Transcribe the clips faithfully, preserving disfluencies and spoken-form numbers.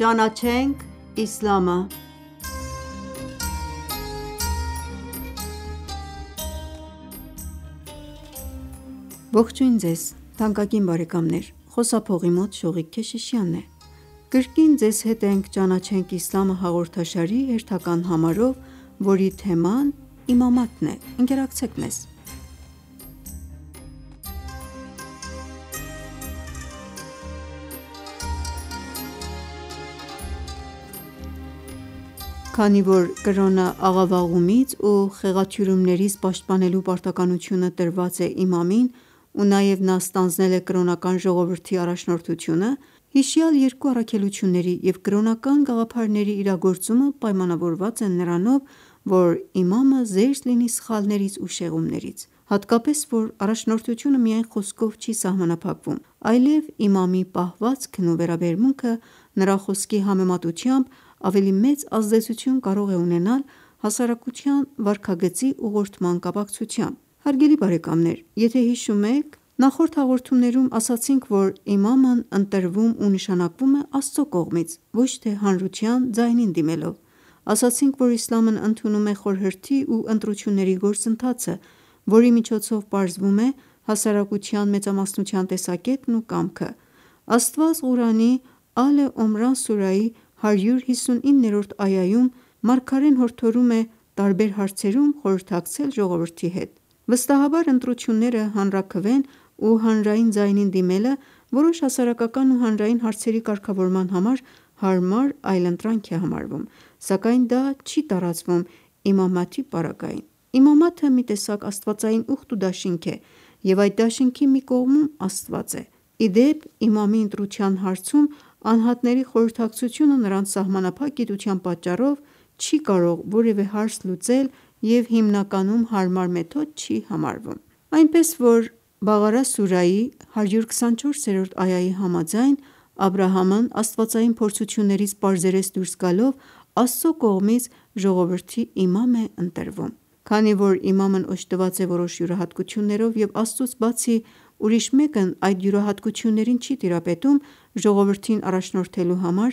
Ճանաչենք իսլամը Ողջույն ձեզ թանկագին բարեկամներ: Խոսափողի մոտ Շողիկ Քեշիշյանն է: Կրկին ձեզ հետ ենք «Ճանաչենք իսլամը» հաղորդաշարի հերթական համարով, որի թեման իմամատն է: Ընկերակցեք մեզ: Քանի որ կրոնը աղավաղումից ու խեղաթյուրումներից պաշտպանելու պարտականությունը տրված է իմամին ու նաև նա ստանձնել է կրոնական ժողովրդի առաջնորդությունը, հիշյալ երկու առաքելությունների և կրոնական գաղափարների իրագործումը պայմանավորված է նրանով, որ իմամը զերծ լինի սխալներից ու շեղումներից: Հատկապես, որ առաջնորդությունը միայն խոսքով չի սահմանափակվում, այլև իմամի պահվածքն ու վերաբերմունքը նրա խոսքի համեմատությամբ ավելի մեծ ազդեցություն կարող է ունենալ հասարակության վարքագծի ուղղորդման կապակցությամբ: Հարգելի բարեկամներ, եթե հիշում եք, նախորդ հաղորդումներում ասացինք, որ իմամն ընտրվում ու նշանակվում է Աստծո կողմից, ոչ թե հանրության ձայնին դիմելով: Ասացինք, որ իսլամն ընդունում է խորհրդի ու ընտրությունների գործընթացը, որի միջոցով պարզվում է հասարակության մեծամասնության տեսակետն ու կամքը: Աստված Ղուրանի Ալ Իմրան սուրայի հարյուր հիսունիններորդ այայում մարգարեն հորդորում է տարբեր հարցերում խորհրդակցել ժողովրդի հետ: Վստահաբար ընտրությունները հանրաքվեն ու հանրային ձայնին դիմելը որոշ հասարակական ու հանրային հարցերի կարգավորման համար հարմար այլընտրանք է համարվում, սակայն դա չի տարածվում իմամաթի պարագային: Իմամաթը մի տեսակ աստվածային ուխտ ու դաշինք է և այդ դաշինքի մի կողմում Աստված է: Ի դեպ, իմամի ընտրության հարցում անհատների խորհրդակցությունը նրանց սահմանափակ գիտության պատճառով չի կարող որևէ հարց լուծել և հիմնականում հարմար մեթոդ չի համարվում: Այնպես որ Բաղարա սուրայի հարյուր քսանչորսերորդ այայի համաձայն, Աբրահամն աստվածային փորձություններից պարզերես դուրս գալով Աստծո կողմից ժողովրդի իմամ է ընտրվում: Քանի որ իմամն օժտված է որոշ յուրահատկություններով և Աստծուց բացի ուրիշ մեկն այդ յուրահատկություններին չի տիրապետում, ժողովրդին առաջնորդելու համար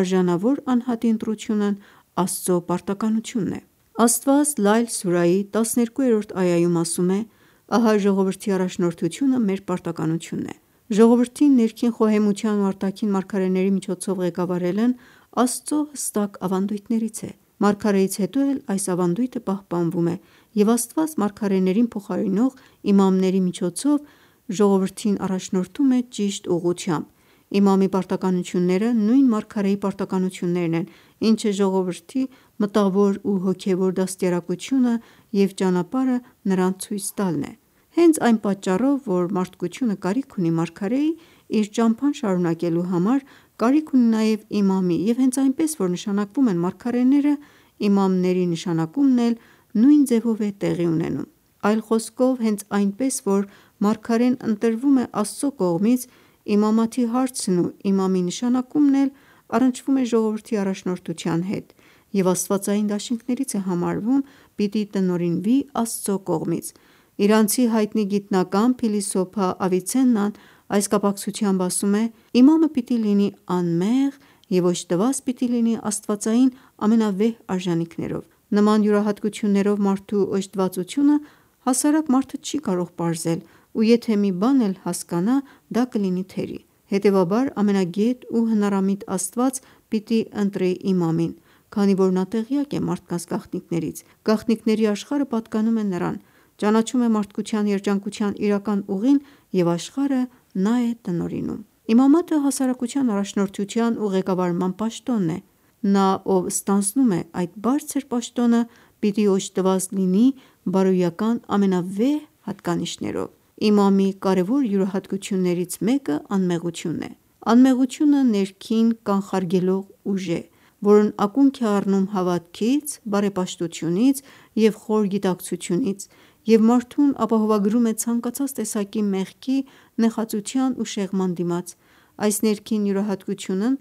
արժանավոր անհատի ընտրությունն Աստծո պարտականությունն է: Աստված Լայլ սուրայի տասներկուերորդ այայում ասում է. «Ահա ժողովրդի առաջնորդությունը մեր պարտականությունն է»: Ժողովրդին ներքին խոհեմության ու արտաքին մարգարեների միջոցով ղեկավարելն Աստծո հստակ ավանդույթներից է: Մարգարեից հետո էլ այս ավանդույթը պահպանվում է և Աստված մարգարեներին փոխարինող իմամների միջոցով ժողովրդին առաջնորդում է ճիշտ ուղղությամբ: Իմամի պարտականությունները նույն մարգարեի պարտականություններն են, ինչը ժողովրդի մտավոր ու հոգևոր դաստիարակությունը և ճանապարհը նրան ցույց տալն է: Հենց այն պատճառով, որ մարդկությունը կարիք ունի մարգարեի, իր ճամփան շարունակելու համար կարիք ունի նաև իմամի և հենց այնպես որ նշանակվում են մարգարեները, իմամների նշանակումն էլ նույն ձևով է տեղի ունենում: Այլ խոսքով, հենց այնպես որ մարգարեն ընտրվում է Աստծո կողմից, իմամաթի հարցն ու իմամի նշանակումն էլ առնչվում է ժողովրդի առաջնորդության հետ և աստվածային դաշինքներից է համարվում պիտի տնօրինվի Աստծո կողմից: Իրանցի հայտնի գիտնական, փիլիսոփա Ավիցեննան այս կապակցությամբ ասում է. «Իմամը պիտի լինի անմեղ և օժտված պիտի լինի աստվածային ամենավեհ արժանինքներով: Նման յուրահատկություններով մարդու օժտվածությունը հասարակ մարդը չի կարող պարզել ու եթե մի բան էլ հասկանա դա կլինի թերի: Հետևաբար ամենագետ ու հնարամիտ Աստված պիտի ընտրի իմամին, քանի որ նա տեղյակ է մարդկանց գաղտնիքներից: Գաղտնիքների աշխարհը պատկանում է նրան, ճանաչում է մարդկության երջանկության իրական ուղին և աշխարհը նա է տնօրինում: Իմամատը հասարակության առաջնորդության ու ղեկավարման պաշտոնն է: Նա, ով ստանձնում է այդ բարձր պաշտոնը, պիտի օժտված լինի բարոյական ամենավեհ հատկանիշներով: Իմամի կարևոր յուրահատկություններից մեկը անմեղությունն է: Անմեղությունը ներքին կանխարգելող ուժ է, որն ակունք է առնում հավատքից, բարեպաշտությունից և խոր գիտակցությունից և մարդուն ապահովագրում է ցանկացած տեսակի մեղքի, նեխածության ու շեղման դիմաց: Այս ներքին յուրահատկությունն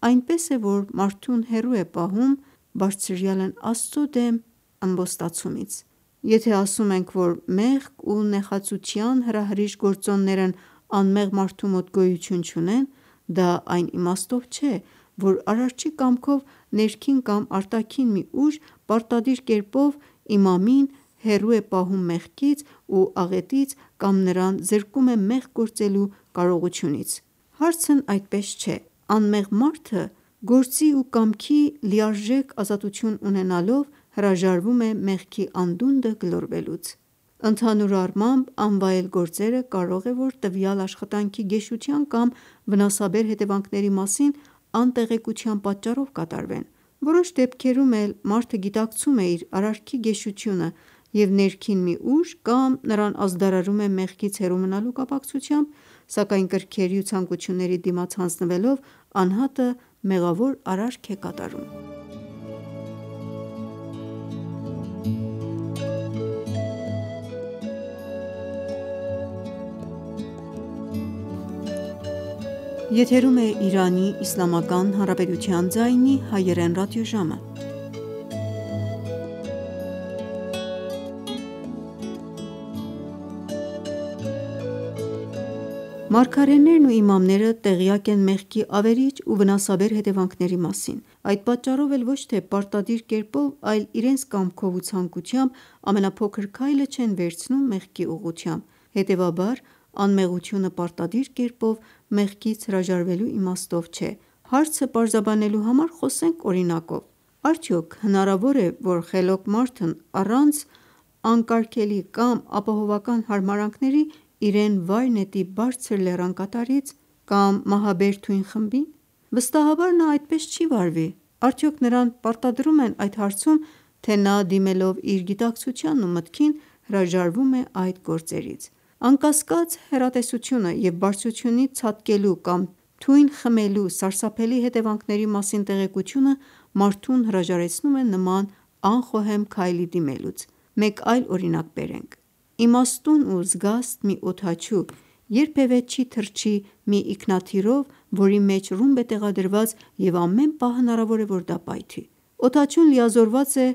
այնպես է, որ մարդուն հեռու է պահում Բարձրյալն Աստծո դեմ ըմբոստացումից: Եթե ասում ենք, որ մեղք ու նեխածության հրահրիչ գործոններն անմեղ մարդու մոտ գոյություն չունեն, դա այն իմաստով չէ, որ Արարչի կամքով ներքին կամ արտաքին մի ուժ պարտադիր կերպով իմամին հեռու է պահում մեղքից ու աղետից կամ նրան զրկում է մեղք գործելու կարողությունից: Հարցն այդպես չէ: Անմեղ մարդը գործի ու կամքի լիարժեք ազատություն ունենալով հրաժարվում է մեղքի անդունդը գլորվելուց: Ընդհանուր առմամբ անվայել գործերը կարող է որ տվյալ աշխատանքի գեշության կամ վնասաբեր հետևանքների մասին անտեղեկության պատճառով կատարվեն: Որոշ դեպքերում էլ մարդը գիտակցում է իր արարքի գեշությունը և ներքին մի ուժ կամ նրան ազդարարում է մեղքից հեռու մնալու կապակցությամբ, սակայն կրքերի ու ցանկությունների դիմաց հանձնվելով անհատը մեղավոր արարք է կատարում: Մարգարեներն ու իմամները տեղյակ են մեղքի ավերիչ ու վնասաբեր հետևանքների մասին: Այդ պատճառով էլ ոչ թե պարտադիր կերպով, այլ իրենց կամքով ու ցանկությամբ ամենափոքր քայլը չեն վերցնում մեղքի ուղղությամբ: Հետևաբար անմեղությունը պարտադիր կերպով մեղքից հրաժարվելու իմաստով չէ: Հարցը պարզաբանելու համար խոսենք օրինակով: Արդյոք հնարավոր է, որ խելոք մարդն առանց անկարգելի կամ ապահովական հարմարանքների իրեն վայր նետի բարձր լեռան կատարից կամ մահաբեր թույն խմբին: Վստահաբար նա այդպես չի վարվի: Արդյոք նրան պարտադրում են այդ հարցում, թե նա դիմելով իր գիտակցությանն ու մտքին հրաժարվում է այդ գործերից: Անկասկած հեռատեսությունը և բարձրությունից ցատկելու կամ թույն խմելու սարսափելի հետևանքների մասին տեղեկությունը մարդուն հրաժարեցնում է նման անխոհեմ քայլի դիմելուց: Մեկ այլ օրինակ բերենք: Իմաստուն ու զգաստ մի օդաչու երբևէ չի թռչի մի ինքնաթիռով, որի մեջ ռումբ է տեղադրված և ամեն պահ հնարավոր է որ դա պայթի: Օդաչուն լիազորված է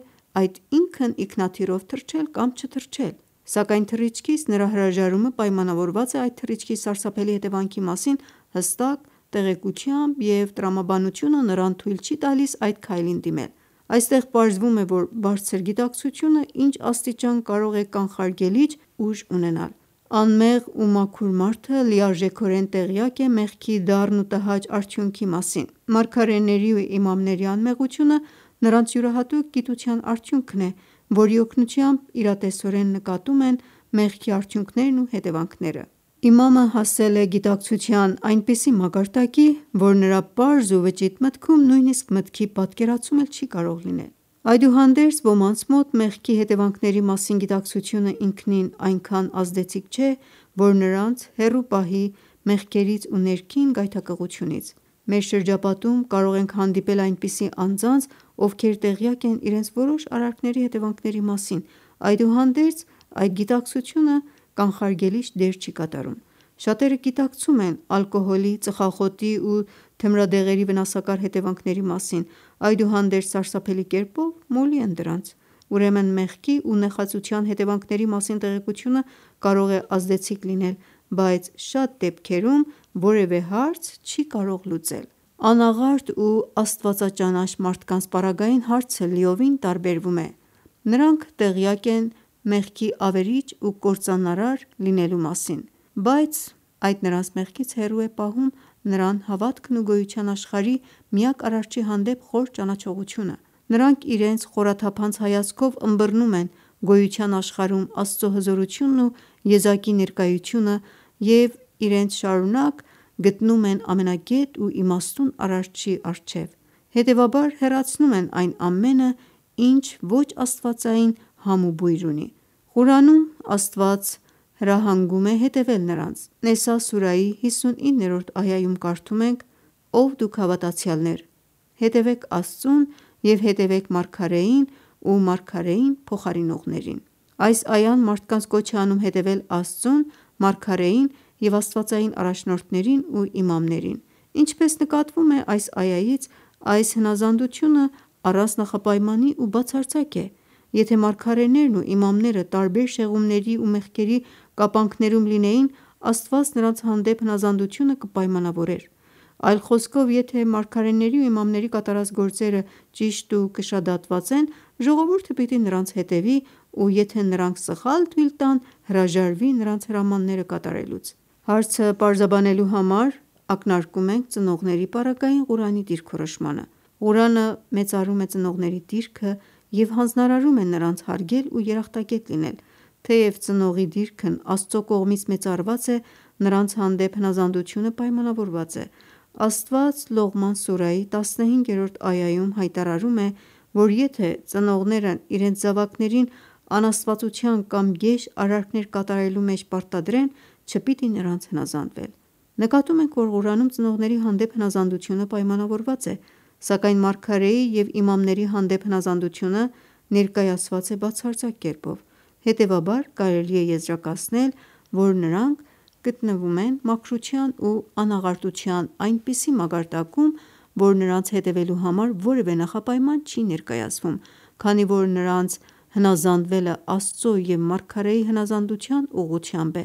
այդ ինքն ինքնաթիռով թռչել կամ չթռչել: Սակայն թռիչքից նրա հրաժարումը պայմանավորված է այդ թռիչքի սարսափելի հետևանքի մասին հստակ տեղեկությամբ և տրամաբանությունը նրան թույլ չի տալիս այդ քայլին դիմել: Այստեղ պարզվում է, որ բարձր գիտակցությունը ինչ աստիճան կարող է կանխարգելիչ ուժ ունենալ: Անմեղ ու մաքուր մարդը լիարժեքորեն տեղյակ է մեղքի դառն ու տհաճ արդյունքի մասին: Մարգարեների ու իմամների անմեղությունը նրանց յուրահատուկ գիտության արդյունքն է, որի օգնությամբ իրատեսորեն նկատում են մեղքի արդյունքներն ու հետևանքները: Իմամը հասել է գիտակցության այնպիսի մակարդակի, որ նրա պարզ ու վճիտ մտքում նույնիսկ մտքի պատկերացում էլ չի կարող լինել: Այդուհանդերձ ոմանց մոտ մեղքի հետևանքների մասին գիտակցությունը ինքնին այնքան ազդեցիկ չէ, որ նրանց հեռու պահի մեղքերից ու ներքին գայթակղությունից: Մեր շրջապատում կարող ենք հանդիպել այնպիսի անձանց, ովքեր տեղյակ են իրենց որոշ արարքների հետևանքների մասին, այդուհանդերձ այդ գիտակցությունը կանխարգելիչ դեր չի կատարում: Շատերը գիտակցում են ալկոհոլի, ծխախոտի ու թմրադեղերի վնասակար հետևանքների մասին, այդուհանդերձ սարսափելի կերպով մոլի են դրանց: Ուրեմն մեղքի ու նեխածության հետևանքների մասին տեղեկությունը կարող է ազդեցիկ լինել, բայց շատ դեպքերում որևէ հարց չի կարող լուծել: Անաղարտ ու աստվածաճանաչ մարդկանց պարագային հարցը լիովին տարբերվում է: Նրանք տեղյակ են մեղքի ավերիչ ու կործանարար լինելու մասին, բայց այդ նրանց մեղքից հեռու է պահում նրան հավատքն ու գոյության աշխարհի միակ Արարչի հանդեպ խոր ճանաչողությունը: Նրանք իրենց խորաթափանց հայացքով ըմբռնում են գոյության աշխարհում Աստծո հզորությունն ու եզակի ներկայությունը և իրենց շարունակ գտնում են ամենագետ ու իմաստուն Արարչի առջև: Հետևաբար հեռացնում են այն ամենը, ինչ ոչ աստվածային համ ու բույր ունի: Ղուրանում Աստված հրահանգում է հետևել նրանց: Նեսա սուրայի հիսունիններորդ այայում կարդում ենք. «Ով դուք հավատացյալներ, հետևեք Աստծուն և հետևեք մարգարեին ու մարգարեին փոխարինողներին»: Այս այան մարդկանց կոչ է անում հետևել Աստծուն, մարգարեին և աստվածային առաջնորդներին ու իմամներին: Ինչպես նկատվում է այս այայից, այս հնազանդությունը առանց նախապայմանի ու բացարձակ է: Եթե մարգարեներն ու իմամները տարբեր շեղումների ու մեղքերի կապանքներում լինեին, Աստված նրանց հանդեպ հնազանդությունը կպայմանավորեր: Այլ խոսքով, եթե մարգարեների ու իմամների կատարած գործերը ճիշտ ու կշադատված են, ժողովուրդը պիտի նրանց հետևի ու եթե նրանք սխալ թույլ տան, հրաժարվի նրանց հրամանները կատարելուց: Հարցը պարզաբանելու համար ակնարկում ենք ծնողների պարագային Ղուրանի դիրքորոշմանը: Ղուրանը մեծարում է ծնողների դիրքը և հանձնարարում է նրանց հարգել ու երախտագետ լինել: Թեև ծնողի դիրքն Աստծո կողմից մեծարված է, նրանց հանդեպ հնազանդությունը պայմանավորված է: Աստված Լողման սուրայի տասնհինգերորդ այայում հայտարարում է, որ եթե ծնողներն իրենց զավակներին անաստվածության կամ գեշ արարքներ կատարելու մեջ պարտադրեն, չպիտի նրանց հնազանդվել: Նկատում ենք, որ Ղուրանում ծնողների հանդեպ հնազանդությունը պայմանավորված է, սակայն մարգարեի և իմամների հանդեպ հնազանդությունը ներկայացված է բացարձակ կերպով: Հետևաբար կարելի է եզրակացնել, որ նրանք գտնվում են մաքրության ու անաղարտության այնպիսի մակարդակում, որ նրանց հետևելու համար որևէ նախապայման չի ներկայացվում, քանի որ նրանց հնազանդվելը Աստծո և մարգարեի հնազանդության ուղղությամբ է: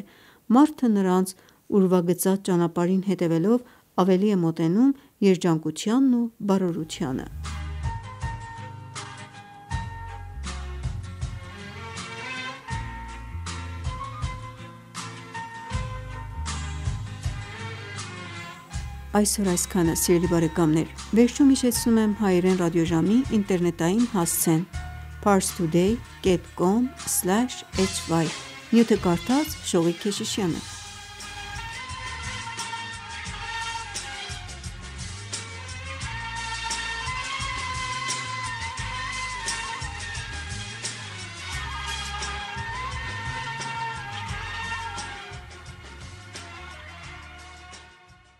Մարդը նրանց ուրվագծած ճանապարհին հետևելով ավելի է մոտենում երջանկությանն ու բարօրությանը: Այսօր այսքանը, սիրելի բարեկամներ: Վերջում հիշեցնում եմ հայերեն ռադիոժամի ինտերնետային հասցեն՝ parstoday.com/hy: Նյութը կարդաց Շողիկ Քեշիշյանը: